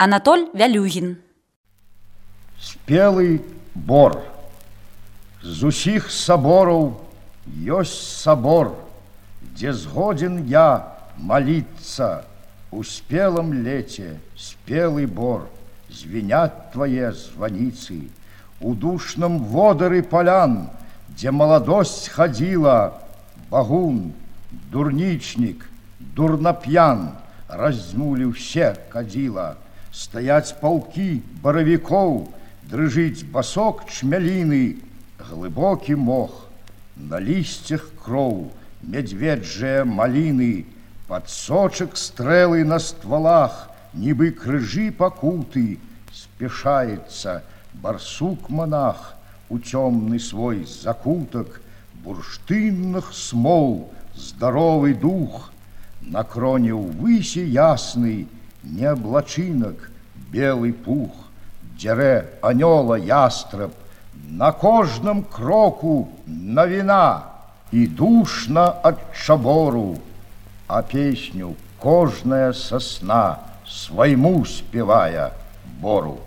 Анатоль Вялюгін. Спелы бор. З усіх сабораў ёсць сабор, дзе згоден я молиться. У спелом лете спелый бор, звенят твои звоницы. У душном водары полян, где молодость ходила, багун, дурничник, дурнопьян, размули все кадила. Стоять полки боровиков, дрыжить босок чмялины, глубокий мох, на листьях кров, медведжие малины, подсочек стрелы на стволах, нібы крыжи покуты, спешается барсук-монах у темный свой закуток бурштынных смол, здоровый дух. На кроне увыси ясный не облачинок, белый пух, дере анёла ястреб, на кожном кроку новина и душно от чабору, а песню кожная сосна своему спевая бору.